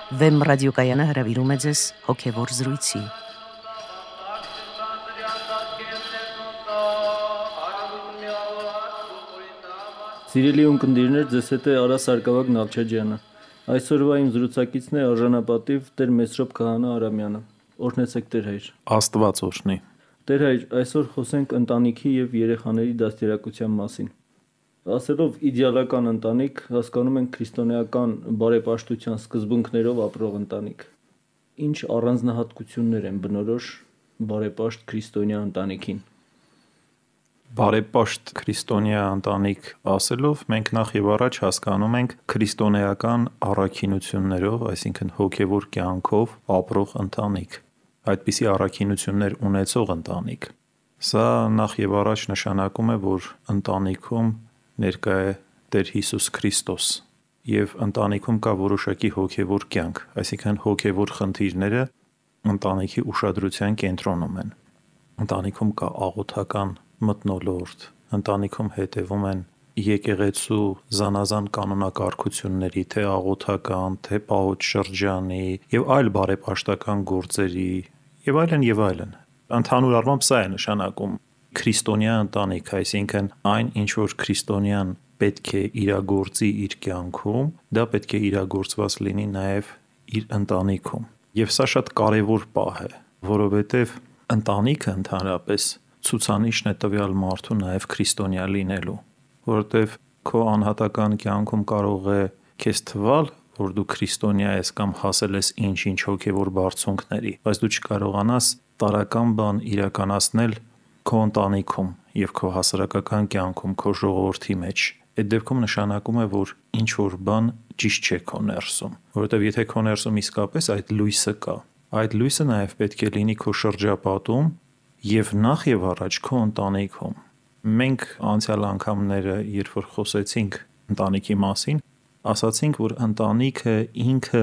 Վեմ ռադիոկայանը հրավիրում է ձեզ հոգևոր զրույցի։ Սիրելի ունկնդիրներ, ձեզ հետ է Արա Սարգսակ Նալչաջյանը։ Այսօրվա իմ զրուցակիցն է արժանապատիվ Տեր Մեսրոպ Քահանա Արամյանը։ Օրհնեցեք Տեր հայր։ Աստված օրհնի։ Տեր հայր, այսօր խոսենք ընտանիքի եւ երեխաների դաստիարակության մասին։ Ասելով իդեալական ընտանիք, հասկանում ենք քրիստոնեական բարեպաշտության սկզբունքներով ապրող ընտանիք։ Ինչ առանձնահատկություններ են բնորոշ բարեպաշտ քրիստոնյա ընտանիքին։ Բարեպաշտ քրիստոնյա ընտանիք ասելով մենք նախ եւ առաջ հասկանում ենք քրիստոնեական առաքինություններով, այսինքն հոգեվոր կյանքով ապրող ընտանիք, այդպիսի առաքինություններ ունեցող ընտանիք։ Սա նախ եւ առաջ նշանակում է, որ ընտանիքում ներկա է Տեր Հիսուս Քրիստոս եւ ընտանիքում կա որոշակի հոգեվոր կյանք, այսինքն հոգեվոր խնդիրները ընտանիքի ուշադրության կենտրոնում են։ Ընտանիքում կա աղոթական մթնոլորտ, ընտանիքում հետևում են եկեղեցու զանազան կանոնակարգությունների, թե աղոթական, թե պահոց շրջանի եւ այլ բարեպաշտական գործերի եւ այլն։ Ընդհանուր առմամբ սա է նշանակում քրիստոնյա ընտանիք, այսինքն այն, ինչ որ քրիստոնյան պետք է իրագործի իր կյանքում, դա պետք է իրագործված լինի նաեւ իր ընտանիքում։ Եվ սա շատ կարևոր պահ է, որովհետեւ ընտանիքը ընդհանրապես ցուցանիշն է տվյալ մարդու նաև քրիստոնյա լինելու, որովհետև քո անհատական կյանքում կարող է քեզ թվալ, որ դու քրիստոնյա ես կամ հասել ես ինչ-ինչ հոգևոր բարձունքների, բայց դու չկարողանաս տարրական բան իրականացնել քո ընտանիքում եւ քո հասարակական կյանքում, քո ժողովրդի մեջ։ Այդ դեպքում նշանակում է, որ ինչ որ բան ճիշտ չէ քո ներսում, որովհետև եթե քո ներսում իսկապես այդ լույսը կա, այդ լույսը նաև պետք է լինի քո շրջապատում եւ նախ եւ առաջ քո ընտանիքում։ Մենք անցյալ անգամները, երբ որ խոսեցինք ընտանիքի մասին, ասացինք, որ ընտանիքը ինքը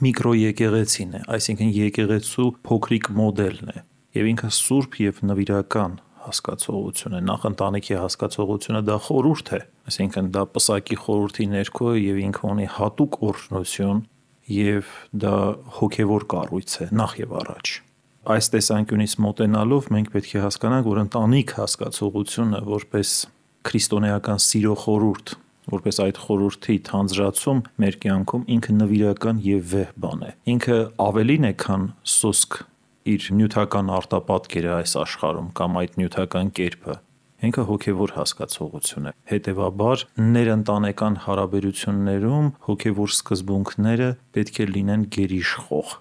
միկրոեկեղեցին է, այսինքն եկեղեցու փոքրիկ մոդելն է, եւ ինքը սուրբ եւ նվիրական հասկացողություն է։ Նախ ընտանիքի հասկացողությունը դա խորհուրդ է, այսինքն դա պսակի խորհրդի ներքո է եւ ինքը ունի հատուկ օրհնություն եւ դա հոգեվոր կառույց է նախ եւ առաջ։ Այս տեսանկյունից մոտենալով մենք պետք է հասկանանք, որ ընտանիք հասկացողությունը որպես քրիստոնեական սիրո խորհուրդ, որպես այդ խորհրդի թանձրացում մեր կյանքում ինքը նվիրական եւ վեհ բան է։ Ինքը ավելին է, քան սոսկ իր նյութական արտապատկերը այս աշխարհում կամ այդ նյութական կերպը։ Ինքը հոգեվոր հասկացողություն է։ Հետևաբար ներընտանեկան հարաբերություններում հոգեվոր սկզբունքները պետք է լինեն գերիշխող։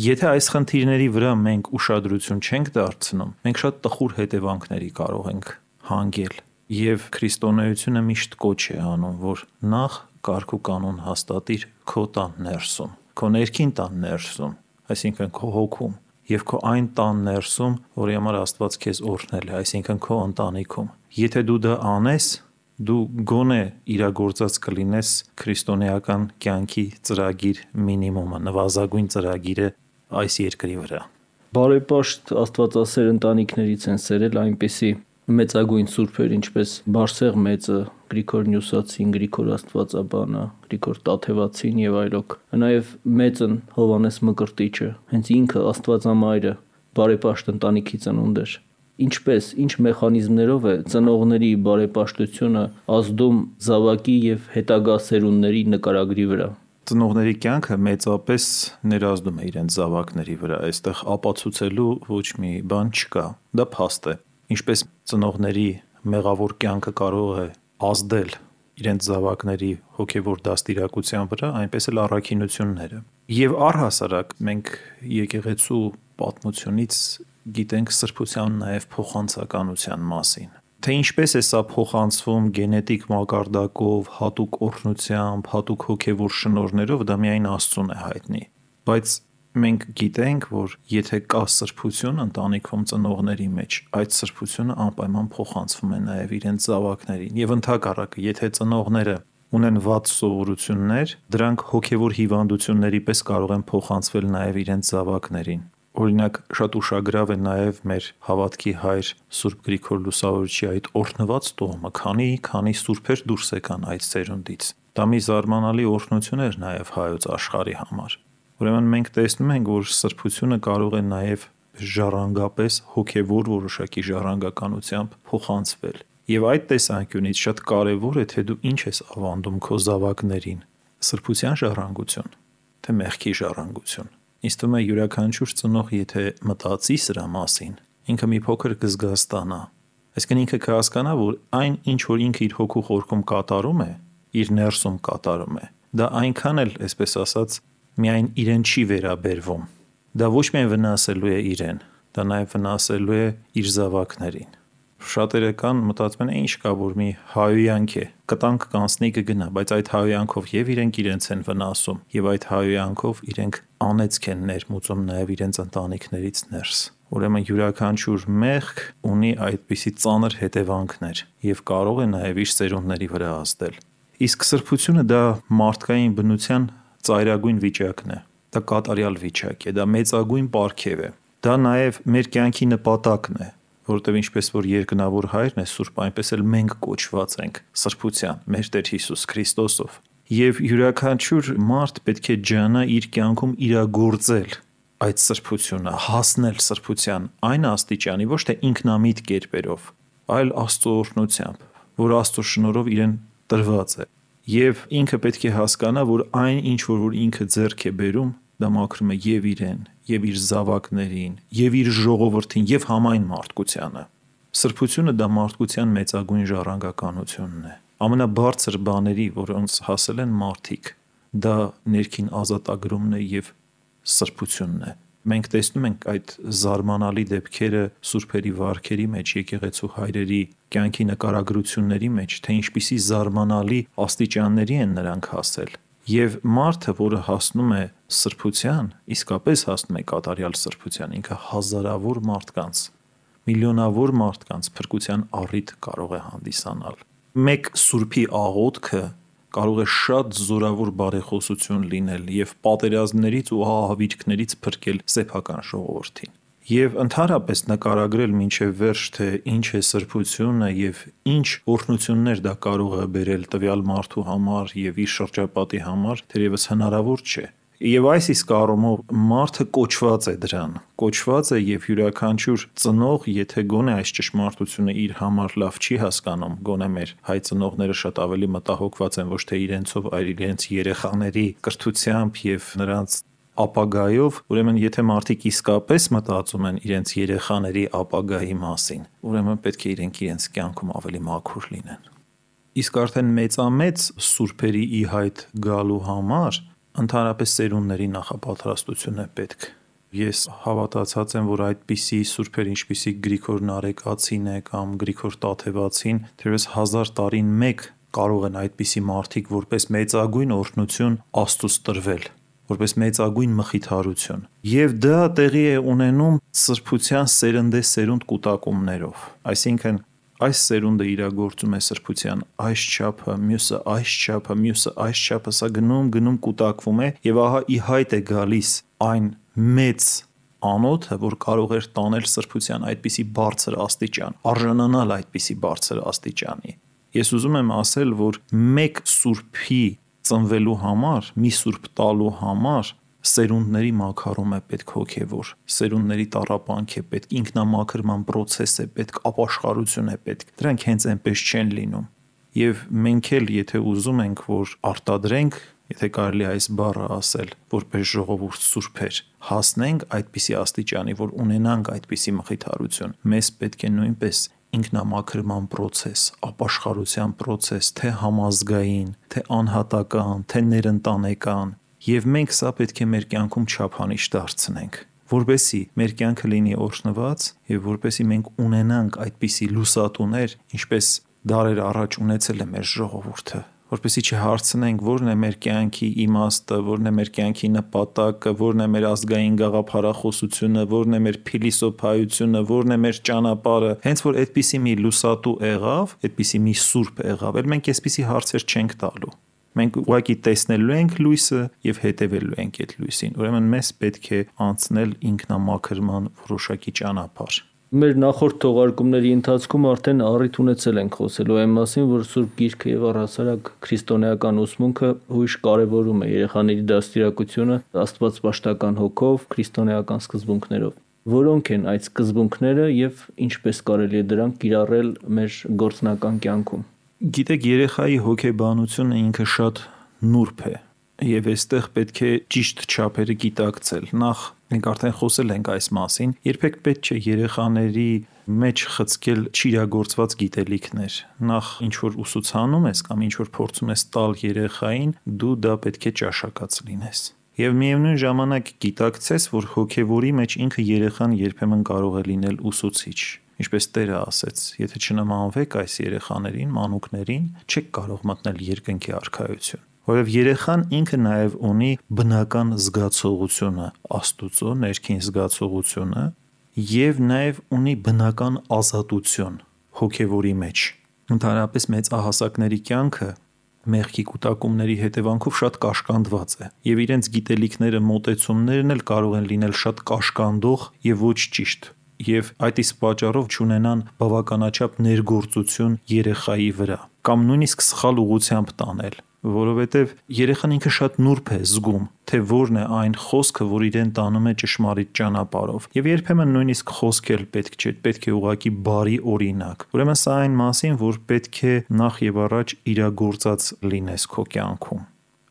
Եթե այս խնդիրների վրա մենք ուշադրություն չենք դարձնում, մենք շատ տխուր հետևանքների կարող ենք հանգել։ Եվ քրիստոնեությունը միշտ կոչ է անում, որ նախ կարգ ու կանոն հաստատիր քո տան ներսում, քո ներքին տան ներսում, այսինքն քո հոգում, եւ քո այն տան ներսում, որի համար Աստված քեզ օրհնել է, այսինքն քո ընտանիքում։ Եթե դու դա անես, դու գոնե իրագործած կլինես քրիստոնեական կյանքի ծրագիր մինիմումը, նվազագույն ծրագիրը այս երկրի վրա։ Բարեպաշտ Աստվածասեր ընտանիքներից են սերել այնպիսի մեծագույն սուրբեր, ինչպես Բարսեղ մեծը, Գրիգոր Նյուսացին, Գրիգոր Աստվածաբանը, Գրիգոր Տաթևացին եւ այլոք։ Նաեւ մեծն Հովհաննես Մկրտիչը, հենց ինքը Աստվածամայրը բարեպաշտ ընտանիքի ծնունդ էր։ Ինչպես, ինչ մեխանիզմներով է ծնողների բարեպաշտությունը ազդում զավակի եւ հետագա սերունդների նկարագրի վրա։ Ծնողների կյանքը մեծապես ներազդում է իրենց զավակների վրա, այստեղ ապացուցելու ոչ մի բան չկա, դա փաստ է։ Ինչպես ծնողների մեղավոր կյանքը կարող է ազդել իրենց զավակների հոգևոր դաստիարակության վրա, այնպես էլ առաքինությունները։ Եվ առհասարակ մենք եկեղեցու պատմությունից գիտենք սրբության նաև փոխանցականության մասին։ Թե ինչպես է սա փոխանցվում գենետիկ մակարդակով, հատուկ օրհնությամբ, հատուկ հոգևոր շնորհներով, դա միայն Աստծուն է հայտնի։ Բայց մենք գիտենք, որ եթե կա սրբություն ընտանիքում ծնողների մեջ, այդ սրբությունը անպայման փոխանցվում է նաև իրենց զավակներին։ Եվ ընդհակառակը, եթե ծնողները ունեն վատ սովորություններ, դրանք հոգևոր հիվանդությունների պես կարող են փոխանցվել նաև իրենց զավակներին։ Օրինակ, շատ ուշագրավ է նաև մեր հավատքի հայր Սուրբ Գրիգոր Լուսավորչի այդ օրհնված տոհմը, քանի սուրբեր դուրս եկան այդ սերունդից։ Դա մի զարմանալի օրհնություն էր նաև հայոց աշխարհի համար։ Ուրեմն մենք տեսնում ենք, որ սրբությունը կարող է նաև ժառանգապես հոգևոր որոշակի ժառանգականությամբ փոխանցվել։ Եվ այդ տեսանկյունից շատ կարևոր է, թե դու ինչ ես ավանդում քո զավակներին՝ սրբության ժառանգություն, թե մեղքի ժառանգություն։ Ինձ թվում է յուրաքանչյուր ծնող, եթե մտածի սրա մասին, ինքը մի փոքր կզգաստանա։ Այսինքն ինքը կհասկանա, որ այն, ինչ որ ինքը իր հոգու խորքում կատարում է, իր ներսում կատարում է, դա այնքան էլ, այսպես ասած, միայն իրեն չի վերաբերվում։ Դա ոչ միայն վնասելու է իրեն, դա նաև վնասելու է իր զավակներին։ Շատերը կան մտածում են, ինչ կա, որ մի հայոյանք է, կտանք կանցնի կգնա, բայց այդ հայոյանքով եւ իրենք իրենց են վնասում, եւ այդ հայոյանքով իրենք անեծք են ներմուծում նաև իրենց ընտանիքներից ներս։ Ուրեմն յուրաքանչյուր մեղք ունի այդպիսի ծանր հետևանքներ եւ կարող է նաև իր ծերունդների վրա ազդել։ Իսկ սրբությունը դա մարդկային բնության ծայրագույն վիճակն է։ Դա կատարյալ վիճակ է, դա մեծագույն պարգև է։ Դա նաև մեր կյանքի նպատակն է, որովհետև ինչպես որ երկնավոր Հայրն է սուրբ, այնպես էլ մենք կոչված ենք սրբության, մեր Տեր Հիսուս Քրիստոսով։ Եվ յուրաքանչյուր մարդ պետք է ջանա իր կյանքում իրագործել այդ սրբությունը, հասնել սրբության այն աստիճանի, ոչ թե ինքնամիտ կերպերով, այլ Աստծո օրհնությամբ, որ Աստծո շնորհով իրեն տրված է։ Եվ ինքը պետք է հասկանա, որ այն, ինչ որ ինքը ձեռք է բերում, դա մաքրում է եւ իրեն, եւ իր զավակներին, եւ իր ժողովրդին, եւ համայն մարդկությանը։ Սրբությունը դա մարդկության մեծագույն ժառանգականությունն է։ Ամենաբարձր բաների, որոնց հասել են մարդիկ, դա ներքին ազատագրումն է եւ սրբությունն է։ Մենք տեսնում ենք այդ զարմանալի դեպքերը սուրբերի վարքերի մեջ, եկեղեցու հայրերի կյանքի նկարագրությունների մեջ, թե ինչպիսի զարմանալի աստիճանների են նրանք հասել։ Եվ մարդը, որը հասնում է սրբության, իսկապես հասնում է կատարյալ սրբության, ինքը հազարավոր մարդկանց, միլիոնավոր մարդկանց փրկության առիթ կարող է հանդիսանալ։ Մեկ սուրբի աղոթքը կարող է շատ զորավոր բարեխոսություն լինել եւ պատերազմներից ու ահավիրքներից փրկել սեփական ժողովրդին։ Եվ ընդհանրապես նկարագրել մինչև վերջ, թե ինչ է սրբությունը եւ ինչ օրհնություններ դա կարող է բերել տվյալ մարդու համար եւ իր շրջապատի համար, թերևս հնարավոր չէ։ Եվ այս իսկ առումով մարդը կոչված է դրան, կոչված է եւ յուրաքանչյուր ծնող, եթե գոնե այս ճշմարտությունը իր համար լավ չի հասկանում, գոնե մեր հայ ծնողները շատ ավելի մտահոգված են ոչ թե իրենցով, այլ իրենց երեխաների կրթությամբ եւ նրանց ապագայով, ուրեմն եթե մարդիկ իսկապես մտածում են իրենց երեխաների ապագայի մասին, ուրեմն պետք է իրենց կյանքում ավելի մաքուր լինեն։ Իսկ արդեն մեծամեծ սուրբերի ի հայտ գալու համար ընդհանրապես սերունդների նախապատրաստություն է պետք։ Ես հավատացած եմ, որ այդպիսի սուրբեր, ինչպիսի Գրիգոր Նարեկացին է կամ Գրիգոր Տաթևացին, թերևս 1000 տարին մեկ կարող են այդպիսի մարդիկ որպես մեծագույն օրհնություն Աստծուց տրվել, որպես մեծագույն մխիթարություն։ Եվ դա տեղի է ունենում սրբության սերնդեսերունդ կուտակումներով։ Այսինքն այս սերունդը իրագործում է սրբության այս չափը, մյուսը այս չափը, մյուսը այս չափը, սա գնում կուտակվում է եւ ահա ի հայտ է գալիս այն մեծ անոթը, որ կարող էր տանել սրբության այդպիսի բարձր աստիճան, արժանանալ այդպիսի բարձր աստիճանի։ Ես ուզում եմ ասել, որ մեկ սուրբի ծնվելու համար, մի սուրբ տալու համար սերունդների մաքարում է պետք հոգևոր, սերունդների տառապանք է պետք, ինքնամաքրման process է պետք, ապաշխարություն է պետք։ Դրանք հենց այնպես չեն լինում։ Եվ մենք էլ եթե ուզում ենք, որ արտադրենք, եթե կարելի այս բառը ասել, որպես ժողովուրդ սուրբեր, հասնենք այդպիսի աստիճանի, որ ունենանք այդպիսի մխիթարություն, մեզ պետք է նույնպես ինքնամաքրման process, ապաշխարության process, թե համազգային, թե անհատական, թե ներընտանեկան։ Եվ մենք սա պետք է մեր կյանքում չափանիշ դարձնենք, որպեսզի մեր կյանքը լինի օրհնված եւ որպեսզի մենք ունենանք այդպիսի լուսատուներ, ինչպես դարեր առաջ ունեցել է մեր ժողովուրդը, որպեսզի չհարցնենք որն է մեր կյանքի իմաստը, որն է մեր կյանքի նպատակը, որն է մեր ազգային գաղափարախոսությունը, որն է մեր փիլիսոփայությունը, որն է մեր ճանապարհը։ Հենց որ այդպիսի մի լուսատու եղավ, այդպիսի մի սուրբ եղավ, մենք այսպիսի հարցեր չենք տալու։ Մենք ուղղակի տեսնելու ենք լույսը եւ հետևելու ենք այդ լույսին։ Ուրեմն մեզ պետք է անցնել ինքնամաքրման որոշակի ճանապարհ։ Մեր նախորդ թողարկումների ընթացքում արդեն առիթ ունեցել ենք խոսելու այն մասին, որ Սուրբ Գիրքը եւ առհասարակ քրիստոնեական ուսմունքը հույժ կարևորում է երեխաների դաստիարակությունը Աստվածպաշտական հոգով, քրիստոնեական սկզբունքներով։ Որոնք են այդ սկզբունքները եւ ինչպես կարելի է դրանք կիրառել մեր գործնական կյանքում։ Գիտեք, երեխայի հոգեբանությունը ինքը շատ նուրբ է եւ այստեղ պետք է ճիշտ չափերը գիտակցել։ Նախ մենք արդեն խոսել ենք այս մասին, երբեք պետք չէ երեխաների մեջ խցկել չիրագործված գիտելիքներ։ Նախ ինչ որ ուսուցանում ես կամ ինչ որ փորձում ես տալ երեխային, դու դա պետք է ճաշակած լինես։ Եվ միևնույն ժամանակ գիտակցես, որ հոգևորի մեջ ինքը երեխան երբեմն կարող է լինել ուսուցիչ։ Ինչպես Տերը ասեց, եթե չնմանվեք այս երեխաներին, մանուկներին, չեք կարող մտնել երկնքի արքայություն։ Որովհետև երեխան ինքը նաև ունի բնական զգացողությունը, Աստուծո ներքին զգացողությունը, եւ նաև ունի բնական ազատություն հոգևորի մեջ։ Ընդհանրապես մեծահասակների կյանքը մեղքի կուտակումների հետևանքով շատ կաշկանդված է, եւ իրենց գիտելիքները, մոտեցումներն էլ կարող են լինել շատ կաշկանդող եւ ոչ ճիշտ, եւ այդ իսկ պատճառով չունենան բավականաչափ ներգործություն երեխայի վրա, կամ նույնիսկ սխալ ուղղությամբ տանել, որովհետեւ երեխան ինքը շատ նուրբ է զգում, թե որն է այն խոսքը, որ իրեն տանում է ճշմարիտ ճանապարհով, եւ երբեմն նույնիսկ խոսքել պետք չէ, պետք է ուղղակի բարի օրինակ։ Ուրեմն սա այն մասին, որ պետք է նախ եւ առաջ իրագործած լինես քո կյանքում։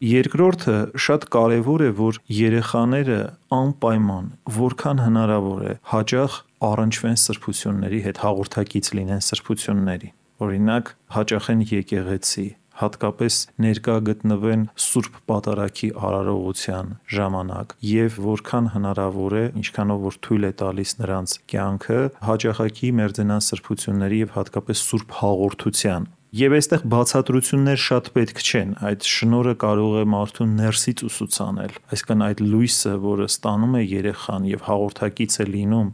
Երկրորդը շատ կարևոր է, որ երեխաները անպայման, որքան հնարավոր է, հաճախ առնչվեն սրբությունների հետ, հաղորդակից լինեն սրբությունների։ Օրինակ, հաճախեն եկեղեցի, հատկապես ներկա գտնվեն Սուրբ Պատարագի արարողության ժամանակ եւ որքան հնարավոր է, ինչքանով որ թույլ է տալիս նրանց կյանքը, հաճախակի մերձենան սրբությունների եւ հատկապես Սուրբ հաղորդության։ Եվ այստեղ բացատրություններ շատ պետք չեն, այդ շնորհը կարող է մարդուն ներսից ուսուցանել, այսինքն այդ լույսը, որը ստանում է երեխան եւ հաղորդակից է լինում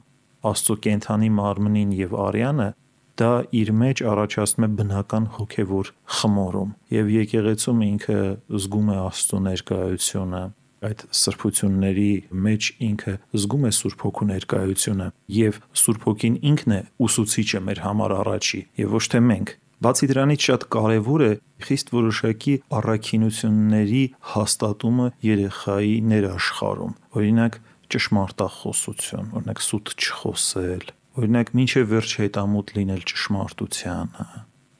Աստծո կենդանի մարմնին եւ արյանը, դա իր մեջ առաջացնում է բնական հոգևոր խմորում եւ եկեղեցում ինքը զգում է Աստծո ներկայությունը, այդ սրբությունների մեջ ինքը զգում է Սուրբ Հոգու ներկայությունը եւ Սուրբ Հոգին ինքն է ուսուցիչը մեր համար առաջի եւ ոչ թե մենք։ Բացի դրանից շատ կարևոր է խիստ որոշակի առաքինությունների հաստատումը երեխայի ներաշխարհում, օրինակ ճշմարտախոսություն, օրինակ սուտ չխոսել, օրինակ մինչև վերջ հետամուտ լինել ճշմարտությանը,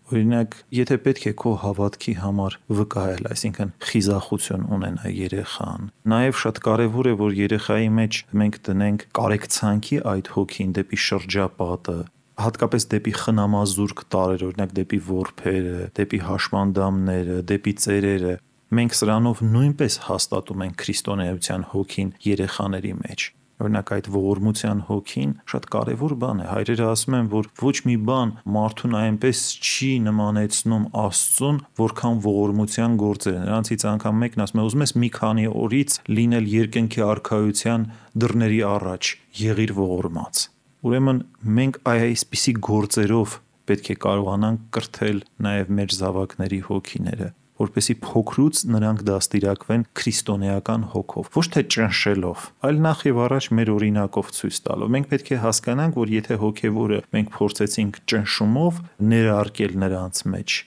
օրինակ եթե պետք է քո հավատքի համար վկայել, այսինքն խիզախություն ունենա երեխան։ Նաև շատ կարևոր է, որ երեխայի մեջ մենք դնենք կարեկցանքի այդ հոգին դեպի շրջապատը, հատկապես դեպի խնամազուրկ տարրեր, օրինակ դեպի որբերը, դեպի հաշմանդամները, դեպի ծերերը։ Մենք սրանով նույնպես հաստատում ենք քրիստոնեության հոգին երեխաների մեջ։ Օրինակ այդ ողորմության հոգին շատ կարևոր բան է։ Հայրերը ասում են, որ ոչ մի բան մարդուն այնպես չի նմանեցնում Աստծուն, որքան ողորմության գործերը։ Նրանցից անգամ մեկն ասում է, ուզում ես մի քանի օրից լինել երկնքի արքայության դռների առաջ, եղիր ողորմած։ Ուրեմն մենք այսպիսի գործերով պետք է կարողանանք կրթել նաև մեր զավակների հոգիները, որպեսզի փոքրուց նրանք դաստիարակվեն քրիստոնեական հոգով, ոչ թե ճնշելով, այլ նախ եւ առաջ մեր օրինակով ցույց տալով։ Մենք պետք է հասկանանք, որ եթե հոգևորը մենք փորձեցինք ճնշումով ներարկել նրանց մեջ,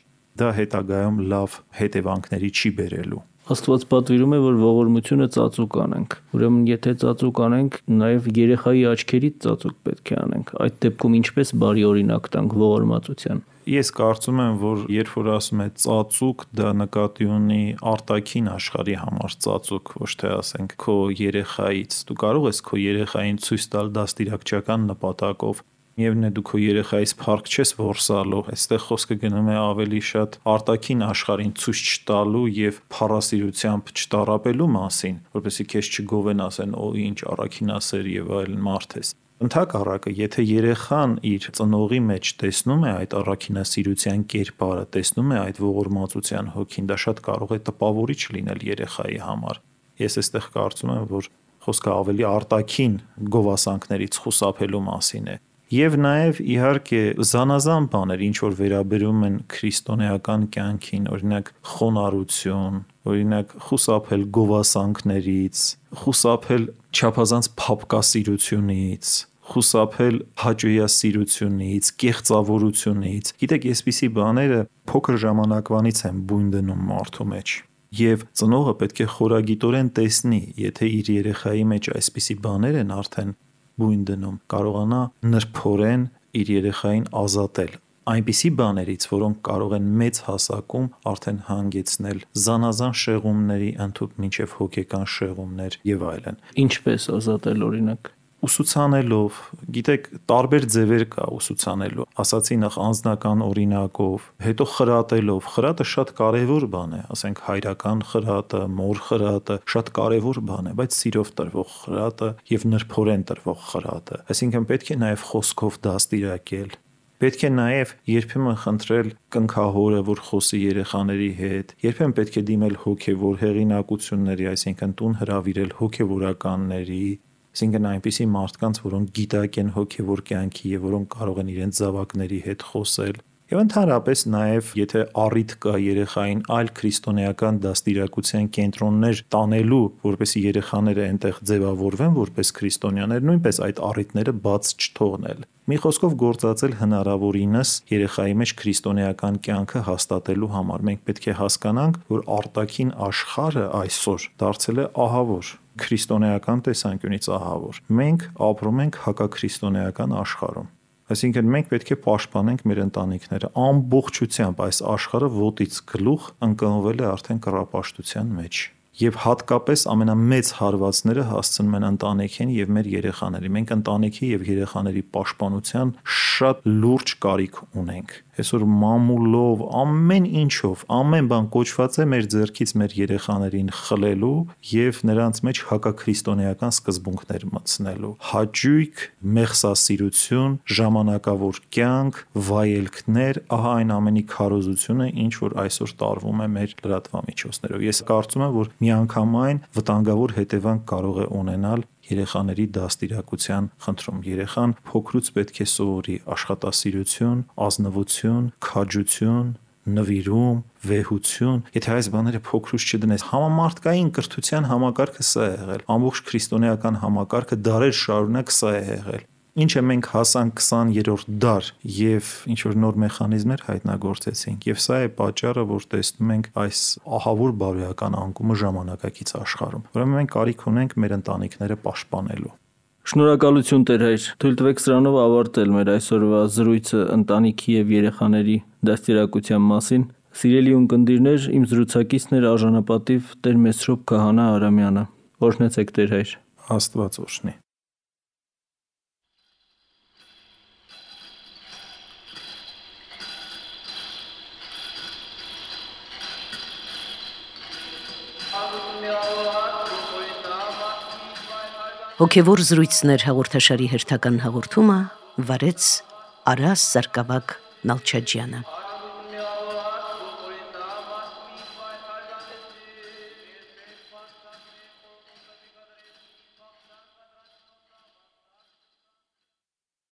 դա հետագայում լավ հետևանքների չի բերելու։ Աստված պատվիրում է, որ ողորմությունը ծածուկ անենք։ Ուրեմն եթե ծածուկ անենք, նաև երեխայի աչքերից ծածուկ պետք է անենք։ Այդ դեպքում ինչպես բարի օրինակ տանք ողորմածության։ Ես կարծում եմ, որ երբ որ ասում է ծածուկ, դա նկատի ունի արտաքին աշխարհի համար ծածուկ, ոչ թե ասենք քո երեխայից։ Դու կարող ես քո երեխային ցույց տալ դաստիարակչական նպատակով, Միևնույն է դու քո երեխայից փառք չես որսալու, այստեղ խոսքը գնում է ավելի շատ արտաքին աշխարհին ցույց չտալու եւ փառասիրությամբ չտարապելու մասին, որպեսզի քեզ չգովեն, ասեն, օ ինչ առաքինասեր եւ այլն մարդ ես։ Ընդհակառակը, եթե երեխան իր ծնողի մեջ տեսնում է այդ առաքինասիրության կերպարը, տեսնում է այդ ողորմածության հոգին, դա շատ կարող է տպավորիչ լինել երեխայի համար։ Ես այստեղ կարծում եմ, որ խոսքը ավելի արտաքին գովասանքներից խուսափելու մասին է։ Եվ նաև իհարկե զանազան բաներ, ինչ որ վերաբերում են քրիստոնեական կյանքին, օրինակ խոնարհություն, օրինակ խուսափել գովասանքներից, խուսափել չափազանց փափկասիրությունից, խուսափել հաճոյասիրությունից, կեղծավորությունից։ Գիտեք, այսպիսի բաները փոքր ժամանակվանից են բույն դնում մարդու մեջ։ Եվ ծնողը պետք է խորագիտորեն տեսնի, եթե իր երեխայի մեջ այսպիսի բաներ են արդեն բույն դնում, կարողանա նրբորեն իր երեխային ազատել այնպիսի բաներից, որոնք կարող են մեծ հասակում արդեն հանգեցնել զանազան շեղումների, ընդհանուր մինչև հոգեկան շեղումներ եւ այլն։ Ինչպես ազատել օրինակ։ Ուսուցանելով, գիտեք, տարբեր ձևեր կա ուսուցանելու։ Ասացի նախ անձնական օրինակով, հետո խրատելով։ Խրատը շատ կարևոր բան է, ասենք հայրական խրատը, մոր խրատը, շատ կարևոր բան է, բայց սիրով տրվող խրատը եւ նրբորեն տրվող խրատը։ Այսինքն պետք է նաեւ խոսքով դաստիարակել։ Պետք է նաև երբեմն խնդրել կնքահորը, որ խոսի երեխաների հետ, երբեմն պետք է դիմել հոգևոր հեղինակությունների, այսինքն տուն հրավիրել հոգևորականների, այսինքն այնպիսի մարդկանց, որոնք գիտակ են հոգևոր կյանքի եւ որոնք կարող են իրենց զավակների հետ խոսել։ Եվ ընդհանրապես նաև, եթե առիթ կա երեխային այլ քրիստոնեական դաստիարակության կենտրոններ տանելու, որպեսզի երեխաները այնտեղ ձևավորվեն որպես քրիստոնյաներ, նույնպես այդ առիթները բաց չթողնել։ Մի խոսքով գործածել հնարավորինս երեխայի մեջ քրիստոնեական կյանքը հաստատելու համար։ Մենք պետք է հասկանանք, որ արտաքին աշխարհը այսօր դարձել է ահավոր, քրիստոնեական տեսանկյունից ահավոր։ Մենք ապրում ենք հակաքրիստոնեական աշխարհում։ Այսինքն մենք պետք է պաշտպանենք մեր ընտանիքները ամբողջությամբ այս աշխարհը ոտից գլուխ ընկնվել է արդեն կռապաշտության մեջ եւ հատկապես ամենամեծ հարվածները հասցնում են ընտանիքին եւ մեր երեխաներին։ Մենք ընտանիքի եւ երեխաների պաշտպանության շատ լուրջ կարիք ունենք։ Այսօր մամուլով, ամեն ինչով, ամեն բան կոչված է մեր ձեռքից մեր երեխաներին խլելու եւ նրանց մեջ հակաքրիստոնեական սկզբունքներ մտցնելու։ Հաճույք, մեղսասիրություն, ժամանակավոր կյանք, վայելքներ, ահա այն ամենի քարոզությունը, ինչ որ այսօր տարվում է մեր լրատվամիջոցներով։ Ես կարծում եմ, որ միանգամայն վտանգավոր հետևանք կարող է ունենալ երեխաների դաստիարակության խնդրում։ Երեխան փոքրուց պետք է սովորի աշխատասիրություն, ազնվություն, քաջություն, նվիրում, վեհություն։ Եթե այս բաները փոքրուց չդնես, համամարտկային կրթության համակարգը սա է եղել։ Ամբողջ քրիստոնեական համակարգը դարեր շարունակ սա է եղել։ Ինչը մենք հասանք 20-րդ դար եւ ինչ որ նոր մեխանիզմներ հայտնագործեցինք եւ սա է պատճառը, որ տեսնում ենք այս ահավոր բարոյական անկումը ժամանակակից աշխարհում։ Ուրեմն մենք կարիք ունենք մեր ընտանիքները պաշտպանելու։ Շնորհակալություն Տեր հայր։ Թույլ տվեք սրանով ավարտել մեր այսօրվա զրույցը ընտանիքի եւ երեխաների դաստիարակության մասին։ Սիրելի ունկնդիրներ, իմ զրուցակիցն էր արժանապատիվ Տեր Մեսրոպ Քահանա Արամյանը։ Օրհնեցեք Տեր հայր։ Աստված օրհնի։ Հոգևոր զրույցներ հաղորդաշարի հերթական հաղորդումը վարեց Արաս Սարգսակ Նալչաջյանը։